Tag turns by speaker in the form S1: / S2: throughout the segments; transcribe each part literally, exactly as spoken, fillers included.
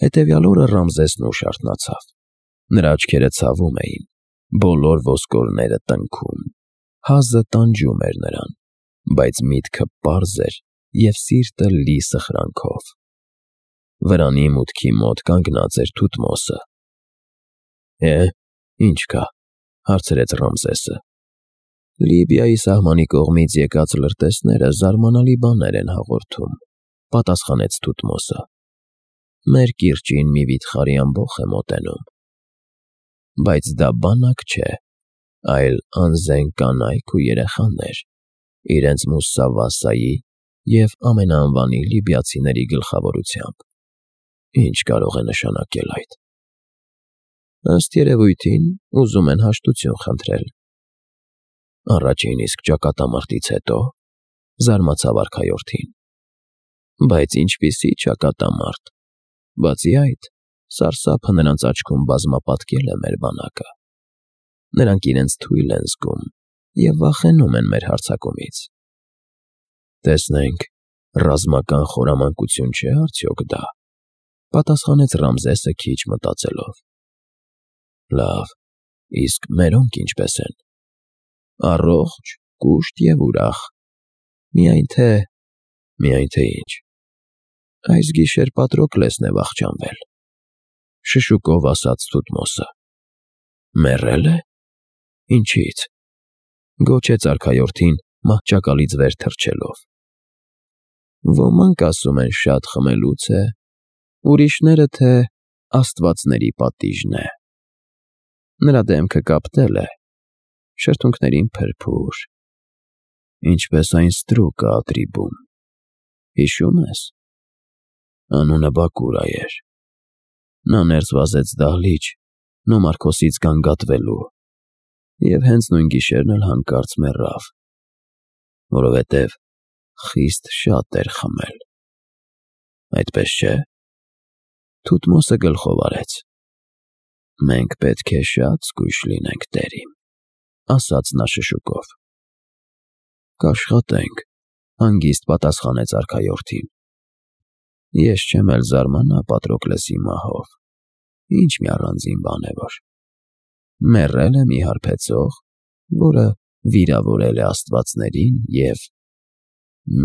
S1: Հետևյալ օրը Ռամզեսն ուշ արթնացավ. նրա աչքերը ցավում էին, բոլոր ոսկորները տնքում, հազը տանջում էր նրան, բայց միտքը պարզ էր և սիրտը լի սխրանքով։ Վրանի մուտքի մոտ կանգնած էր Թութմոսը։ Է՞, ի՞նչ կա,֊ հարցրեց Ռամզեսը։ Լիբիայի սահմանի կողմից եկած լրտեսները զարմանալի բաներ են հաղորդում,֊ պատասխանեց Թութմոսը։ Մեր կիրճին մի վիթխարի ամբոխ է մոտենում։ Բայց դա բանակ չէ, այլ անզեն կանայք ու երեխաներ, իրենց Մուսավասայի և ամենաանվանի լիբիացիների գլխավորությամբ։ Ի՞նչ կարող է նշանակել այդ։ Ըստ երևույթին, ուզում են հաշտություն խնդրել։ Առաջին իսկ ճակատամարտից հետո,֊ զարմացավ արքայորդին։ Բայց ինչպիսի ճակատամարտ։ Բացի այդ, սարսափը նրանց աչքում բազմապատկել է մեր բանակը։ Նրանք իրենց թույլ են զգում և վախենում են մեր հարձակումից։ Տեսնենք, ռազմական խորամանկություն չէ՞ արդյոք դա,֊ պատասխանեց Ռամզեսը քիչ մտածելով։ Լավ, իսկ մերոնք ինչպե՞ս են։ Առողջ, կուշտ և ուրախ։ Միայն թե… Միայն թե ի՞նչ։ Այս գիշեր Պատրոկլեսն է վախճանվել,֊ շշուկով ասաց Թութմոսը։ Մեռե՞լ է։ Ինչի՞ց,֊ գոչեց արքայորդին մահճակալից վեր թռչելով։ Ոմանք ասում են շատ խմելուց է, ուրիշները, թե աստվածների պատիժն է։ Նրա դեմքը կապտել է, շրթունքներին փրփուր, ինչպես այն ստրուկը Ատրիբում, հիշո՞ւմ ես։ Անունը Բակուրա էր։ Նա ներս վազեց դահլիճ Նոմարքոսից գանգատվելու և հենց նույն գիշերն էլ հանկարծ մեռավ, որովհետև խիստ շատ էր խմել։ Այդպես չէ՞։ Թութմոսը գլխով արեց։ Մենք պետք է շատ զգույշ լինենք, տեր իմ,֊ ասաց նա շշուկով։ Կաշխատենք,֊ հանգիստ պատասխանեց արքայորդին։ Ես չեմ էլ զարմանա Պատրոկլեսի մահով, ինչ մի առանձին բան է որ։ Մեռել է մի հարբեցող, որը վիրավորել է աստվածներին և…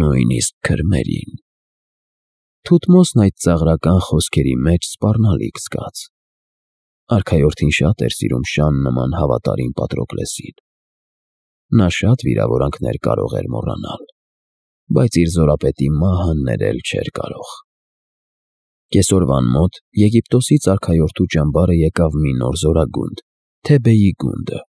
S1: նույնիսկ քրմերին։ Թութմոսն այդ ծաղրական խոսքերի մեջ սպառնալիք զգաց։ Արքայորդին շատ էր սիրում շան նման հավատարիմ Պատրոկլեսին։ Նա շատ վիրավորանքներ կարող էր մոռանալ, բայց իր զորապետի մահը ներել չէր կարող։ Կեսօրվան մոտ Եգիպտոսից արքայորդու ճամբարը եկավ մի նոր զորագունդ՝ Թեբեի գունդը,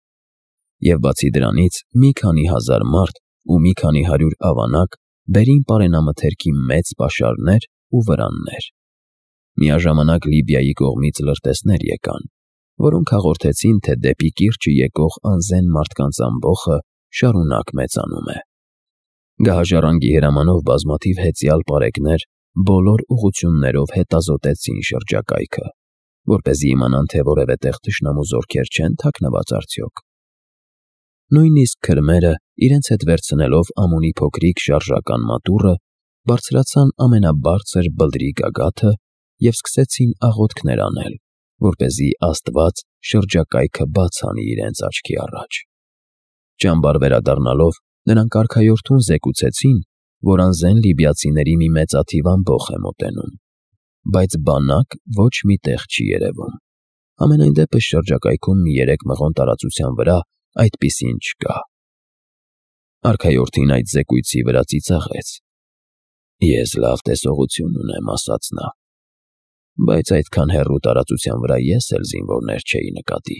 S1: և բացի դրանից մի քանի հազար մարդ ու մի քանի հարյուր ավանակ բերին պարենամթերքի մեծ պաշարներ ու վրաններ։ Միաժամանակ Լիբիայի կողմից լրտեսներ եկան, որոնք հաղորդեցին, թե դեպի կիրճը եկող անզեն մարդկանց ամբոխը շարունակ մեծանում է։ Գահաժառանգի հրամանով բազմաթիվ հեծյալ պարեկներ բոլոր ուղղություններով հետազոտեցին շրջակայքը, որպեսզի իմանան, թե որևէ տեղ թշնամու զորքեր չեն թաքնված արդյոք։ Նույնիսկ քրմերը, իրենց հետ վերցնելով Ամոնի փոքրիկ շարժական մատուռը, բարձրացան ամենաբարձր բլրի գագաթը և սկսեցին աղոթքներ անել, որպեսզի Աստված շրջակայքը բաց անի իրենց աչքի առաջ։ Ճամբար վերադառնալով, նրանք արքայորդուն զեկուցեցին, որ անզեն լիբիացիների մի մեծաթիվ ամբոխ է մոտենում, բայց բանակ ոչ մի տեղ չի երևում։ Համենայն դեպս շրջակայքում մի երեք մղոն տարածության վրա այդպիսին չկա։ Արքայորդին այդ զեկույցի վրա ծիծաղեց։ Ես լավ տեսողություն ունեմ, ասաց նա, բայց այդքան հեռու տարածության վրա ես էլ զինվորներ չէի նկատի։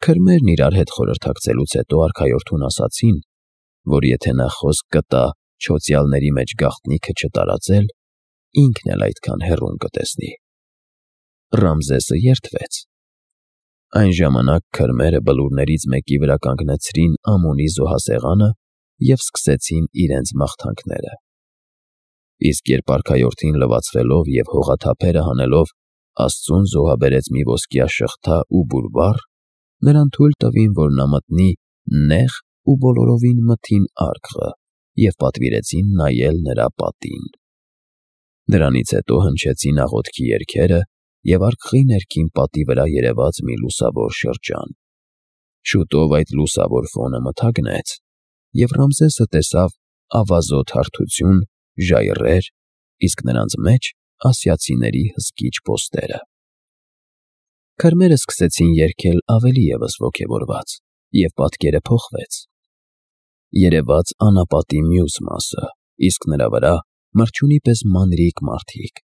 S1: Քրմերն իրար հետ խորհրդակցելուց հետո արքայորդուն ասացին, որ եթե նա խոսք կտա չոցյալների մեջ գաղտնիքը չտարածել, ինքն էլ այդքան հեռուն կտեսնի։ Ռամզեսը երդվեց։ Այն ժամանակ քրմերը բլուրներից մեկի վրա կանգնեցրին Ամոնի զոհասեղանը և սկսեցին իրենց մաղթանքները։ Իսկ երբ արքայորդին լվացվելով և հողաթափերը հանելով Աստծուն զոհաբերեց մի ոսկյա շղթա ու բուրվառ, նրան թույլ տվին, որ նա մտնի նեղ ու բոլորովին մթին արկղը և պատվիրեցին նայել նրա պատին։ Դրանից հետո հնչեցին աղոթքի երգերը և արկղի ներքին պատի վրա երևաց մի լուսավոր շրջան։ Շուտով այդ լուսավոր ֆոնը մթագնեց, և Ռամզեսը տեսավ ավազոտ հարթություն, ժայռեր, իսկ նրանց մեջ ասիացիների հսկիչ պոստերը։ Քրմերը սկսեցին երգել ավելի ևս ոգևորված, և պատկերը փոխվեց։ Երևաց անապատի մյուս մասը, իսկ նրա վրա մրջյունի պես մանրիկ մարդիկ։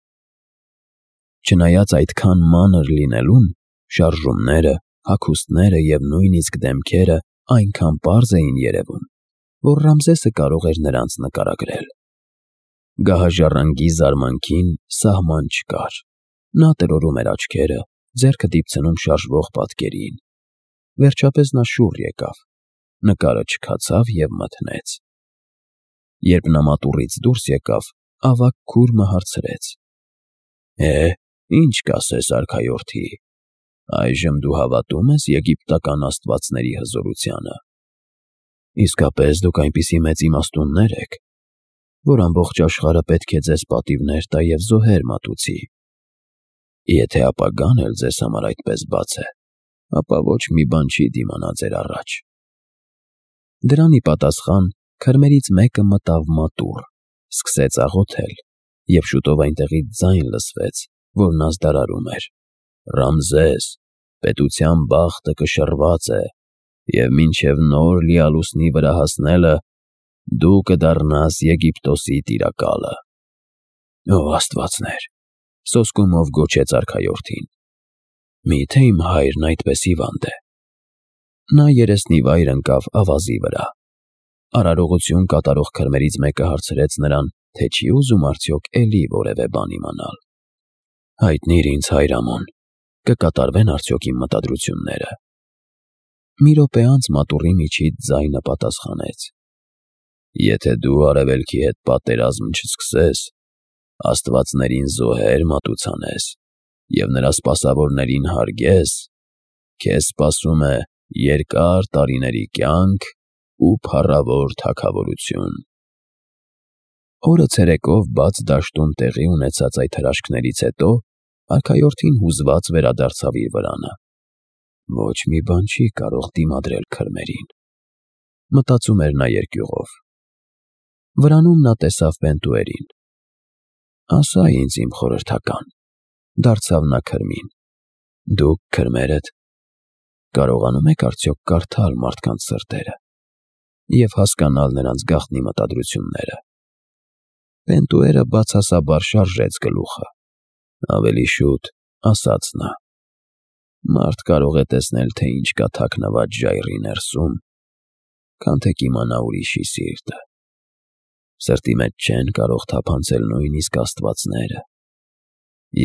S1: Չնայած այդքան մանր լինելուն, շարժումները, հագուստները և նույնիսկ դեմքերը այնքան պարզ էին երևում, որ Ռամզեսը կարող էր նրանց նկարագրել։ Գահաժառանգի զարմանքին սահման չկար։ Նա տրորում էր աչքերը, ձեռքը դիպցնում շարժվող պատկերին։ Վերջապես նա շուռ եկավ, նկարը չքացավ և մթնեց։ Երբ նա մատուռից դուրս եկավ, ավագ քուրմը հարցրեց. «Է, ի՞նչ կասես, արքայորդի, այժմ դու հավատո՞ւմ ես եգիպտական աստվածների հզորությանը»։ «Իսկապես դուք այնպիսի մեծ իմաստուններ եք, որ ամբողջ աշխարհը պետք է ձեզ պատիվներ տա և զոհեր մատուցի։ Եթե ապագան էլ ձեզ համար այդպես բաց է, ապա ոչ մի բան չի դիմանա ձեր առաջ»։ Դրան ի պատասխան քրմերից մեկը մտավ մատուռ, սկսեց աղոթել, և շուտով այնտեղից ձայն լսվեց, որն ազդարարում էր. «Ռամզես, պետության բախտը կշռված է, և մինչև նոր լիալուսնի վրա հասնելը դու կդառնաս Եգիպտոսի տիրակալը»։ «Ո աստվածներ», սոսկումով գոչեց արքայորդին, «մի՞թե իմ հայրն այդպես հիվանդ է»։ Նա երեսնիվայր ընկավ ավազի վրա։ Արարողություն կատարող քրմերից մեկը հարցրեց նրան, թե չի ուզում արդյոք էլի որևէ բան իմանալ։ «Հայտնիր ինձ, հայր Ամոն, կկատարվե՞ն արդյոք իմ մտադրությունները»։ Մի րոպե անց մատուռի միջից ձայնը պատասխանեց. «Եթե դու արևելքի հետ պատերազմ չսկսես, աստվածներին զոհեր մատուցանես և նրա սպասավորներին հարգես, քեզ սպասում է երկար տարիների կյանք ու փառավոր թագավորություն»։ Օրը ցերեկով բաց դաշտում տեղի ունեցած այդ հրաշքներից հետո արքայորդին հուզված վերադարձավ իր վրանը։ Ոչ մի բան չի կարող դիմադրել քրմերին, մտածում էր նա երկյուղով։ Վրանում նա տեսավ Պենտուերին։ «Ասա ինձ, իմ խորհրդական», դարձավ նա քրմին, «դուք քրմերդ կարողանում եք արդյոք կարդալ մարդկանց սրտերը և հասկանալ նրանց գաղտնի մտադրությունները»։ Պենտուերը բացասաբար շարժեց գլուխը։ «Ավելի շուտ», ասաց նա, «մարդ կարող է տեսնել, թե ինչ կա թաքնված ժայռի ներսում, քան թե կիմանա ուրիշի սիրտը։ Սրտի մեջ չեն կարող թափանցել նույնիսկ աստվածները,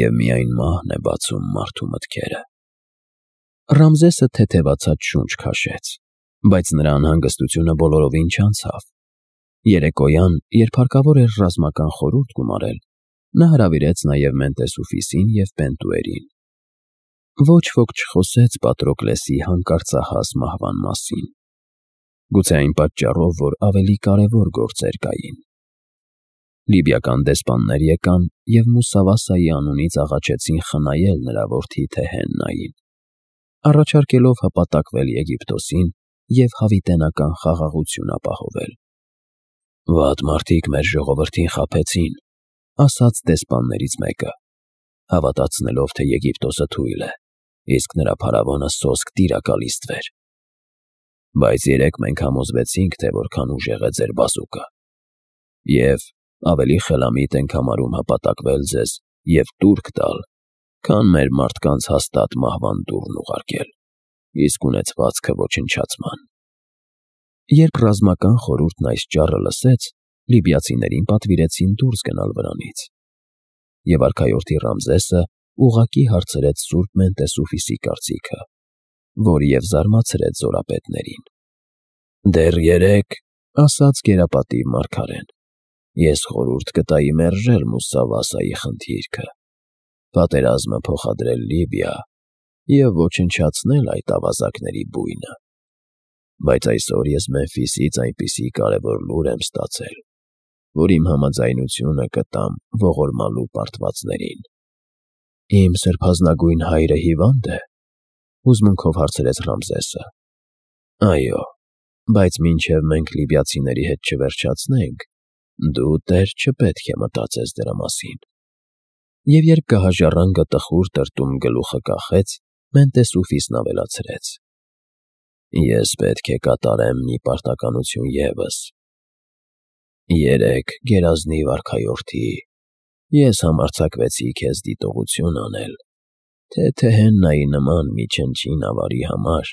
S1: և միայն մահն է բացում մարդու մտքերը»։ Ռամզեսը թեթևացած շունչ քաշեց, բայց նրա անհանգստությունը բոլորովին չանցավ։ Երեկոյան, երբ հարկավոր էր ռազմական խորհուրդ գումարել, նա հրավիրեց նաև Մենտեսուֆիսին և Պենտուերին։ Ոչ ոք չխոսեց Պատրոկլեսի հանկարծահաս մահվան մասին։ Գուցե այն պատճառով, որ ավելի կարևոր գործեր կային։ Լիբիական դեսպաններ եկան և Մուսավասայի անունից աղաչեցին խնայել նրա որդի Թեհեննային, առաջարկելով հպատակվել Եգիպտոսին և հավիտենական խաղաղություն ապահովել։ «Վատ մարդիկ մեր ժողովրդին խաբեցին», ասաց դեսպաններից մեկը, հավատացնելով, թե Եգիպտոսը թույլ է, իսկ նրա փարավոնը սոսկ տիրակալիստվեր։ Բայց երեկ մենք համոզվեցինք, թե որքան ուժեղ է ձեր բազուկը, և ավելի խելամիտ ենք համարում հպատակվել ձեզ և տուրք տալ, քան մեր մարդկանց հաստատ մահվան դուռն ուղարկել, իսկ ունեցվածքը ոչնչացման։ Երբ ռազմական խորհուրդն այս ճառը լսեց, լիբիացիներին պատվիրեցին դուրս գնալ վրանից, և արքայորդի Ռամզեսը ուղղակի հարցրեց սուրբ Մենտեսուֆիսի կարծիքը, որ և զարմացրեց զորապետներին։ «Դեռ երեկ, — ասաց գերապատիվ մարգարեն, — ես խորհուրդ կտայի մերժել Մուսավասայի խնդիրքը, պատերազմը փոխադրել Լիբիա և ոչնչացնել այդ ավազակների բույնը։ Բայց այսօր ես Մեմֆիսից այնպիսի կարևոր լուր եմ ստացել, որ իմ համաձայնությունը կտամ ողորմալու պարտվածներին։ Իմ սրբազնագույն հայրը հիվա՞նդ է,֊ հուզմունքով հարցրեց Ռամզեսը։ Այո, բայց մինչև մենք լիբիացիների հետ չվերջացնենք, դու, տեր, չպետք է մտածես դրա մասին։ Եվ երբ գահաժառանգը տխուր տրտում գլուխը կախեց, Մենտեսուֆիսն ավելացրեց. Ես պետք է կատարեմ մի պարտականություն ևս։ Երեկ, գերազնիվ արքայորդի, ես համարձակվեցի քեզ դիտողություն անել, թե Թեհեննայի նման մի չնչին ավարի համար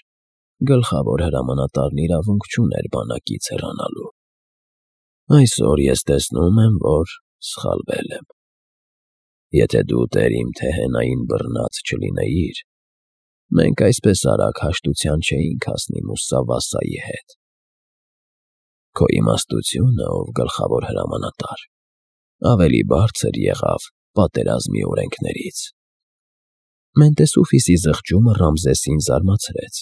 S1: գլխավոր հրամանատարն իրավունք չուներ բանակից հեռանալու։ Այսօր ես տեսնում եմ, որ սխալվել եմ։ Եթե դու, տեր իմ, Թեհենային բռնած չլինեիր, մենք այսպես արագ հաշտության չէինք հասնի Մուսավասայի հետ։ Քո իմաստությունը, ով գլխավոր հրամանատար, ավելի բարձր եղավ պատերազմի օրենքներից։ Մենտեսուֆիսի զղջումը Ռամզեսին զարմացրեց։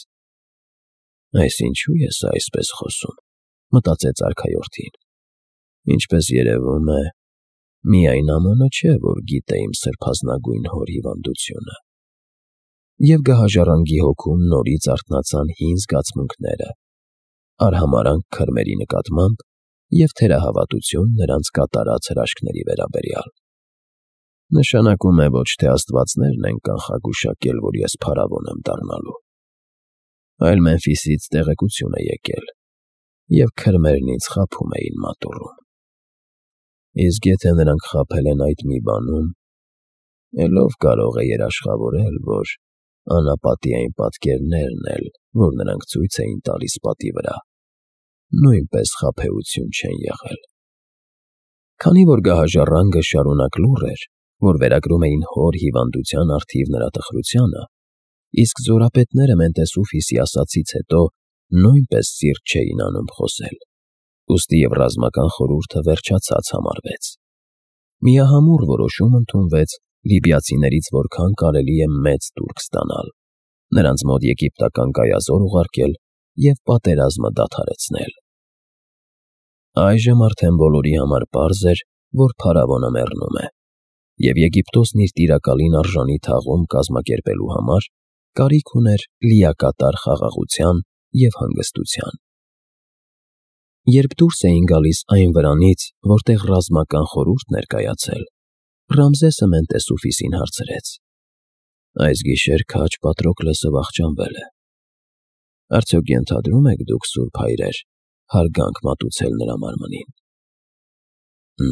S1: Այսինչու ես այսպես խոսում, մտածեց արքայորդին։ Ինչպես երևում է, միայն Ամոնը չէ, որ գիտե իմ սրբազնագույն հոր հիվանդությունը։ Եվ գահաժառանգի հոգում նորից արթնացան հին զգացմունքները, արհամարհանք քրմերի նկատմամբ և թերահավատություն նրանց կատարած հրաշքների վերաբերյալ։ Նշանակում է ոչ թե աստվածներն են կանխագուշակել, որ ես փարավոն եմ դառնալու, այլ Մեմֆիսից տեղեկություն է եկել, և քրմերն ինձ խաբում էին մատուռում։ Իսկ եթե նրանք խաբել են այդ մի բանում, էլ ով կարող է երաշխավորել, որ անապատի այն պատկերներն էլ, որ նրանք ցույց էին տալիս պատի վրա, նույնպես խաբեություն չեն եղել։ Քանի որ գահաժառանգը շարունակ լուռ էր, որ վերագրում էին հոր հիվանդության առթիվ նրա տխրությանը, իսկ զորապետները Մենտեսուֆիսի ասածից հետո նույնպես սիրտ չէին անում խոսել, ուստի և ռազմական խորհուրդը վերջացած համարվեց։ Միահամուռ որոշում ընդունվեց լիբիացիներից որքան կարելի է մեծ տուրք ստանալ, նրանց մոտ եգիպտական գայազոր ուղարկել և պատերազմը դադարեցնել։ Այժմ արդեն բոլորի համար պարզ էր, որ փարավոնը մեռնում է, և Եգիպտոսն իր տիրակալին արժանի թաղում կազմակերպելու համար կարիք ուներ լիակատար խաղաղության և հանգստության։ Երբ դուրս էին գալիս այն վրանից, որտեղ ռազմական խորհուրդն էր կայացել, Ռամզեսը Մենտեսուֆիսին հարցրեց. Այս գիշեր քաջ Պատրոկլեսը վախճանվել է։ Արդյոք ենթադրում եք դուք, սուրբ հայրեր, հարգանք մատուցել նրա մարմնին։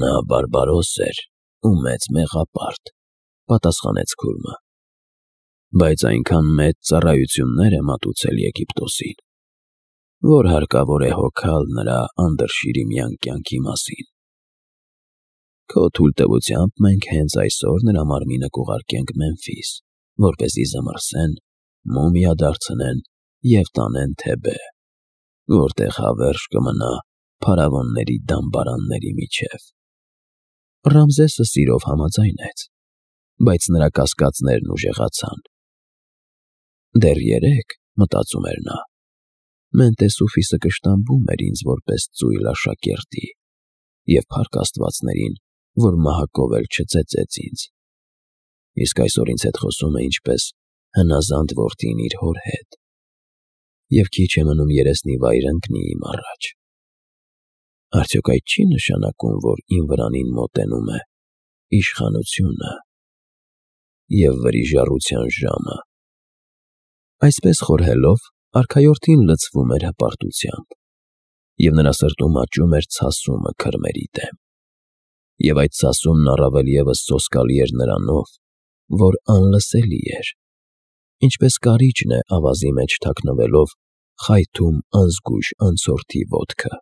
S1: Նա բարբարոս էր ու մեծ մեղապարտ, պատասխանեց քուրմը, բայց այնքան մեծ ծառայություններ է մատուցել Եգիպտոսին, որ հարկավոր է հոգալ նրա անդրշիրիմյան կյանքի մասին։ Քո թույլտվությամբ մենք հենց այսօր նրա մարմինը կուղարկենք Մեմֆիս, որպեսզի զմռսեն, մումիա դարձնեն և տանեն Թեբե, որտեղ հավերժ կմնա փարավոնների դամբարանների միջև։ Ռամզեսը սիրով համաձայնեց, բայց նրա կասկածներն ուժեղացան։ Դեռ երեկ, մտածում էր նա, Մենտեսուֆիսը կշտամբում էր ինձ որպես ծույլ աշակերտի և փառք աստվածներին, որ մահակով էլ չծեծեց ինձ, իսկ այսօր ինձ հետ խոսում է ինչպես հնազանդ որդին իր հոր հետ, և քիչ է մնում երեսնի վայր ընկնի իմ առաջ։ Արդյոք այդ չի՞ նշանակում, որ իմ վրանին մոտենում է իշխանությունը և վրիժառության ժամը։ Այսպես խորհելով, արքայորդին լցվում էր հպարտությամբ, և նրա սրտում աճում էր ցասումը քրմերի դեմ, և այդ ցասումն առավել ևս սոսկալի էր նրանով, որ անլսելի էր, ինչպես կարիճն է ավազի մեջ թաքնվելով խայթում անզգույշ անցորդի ոտքը։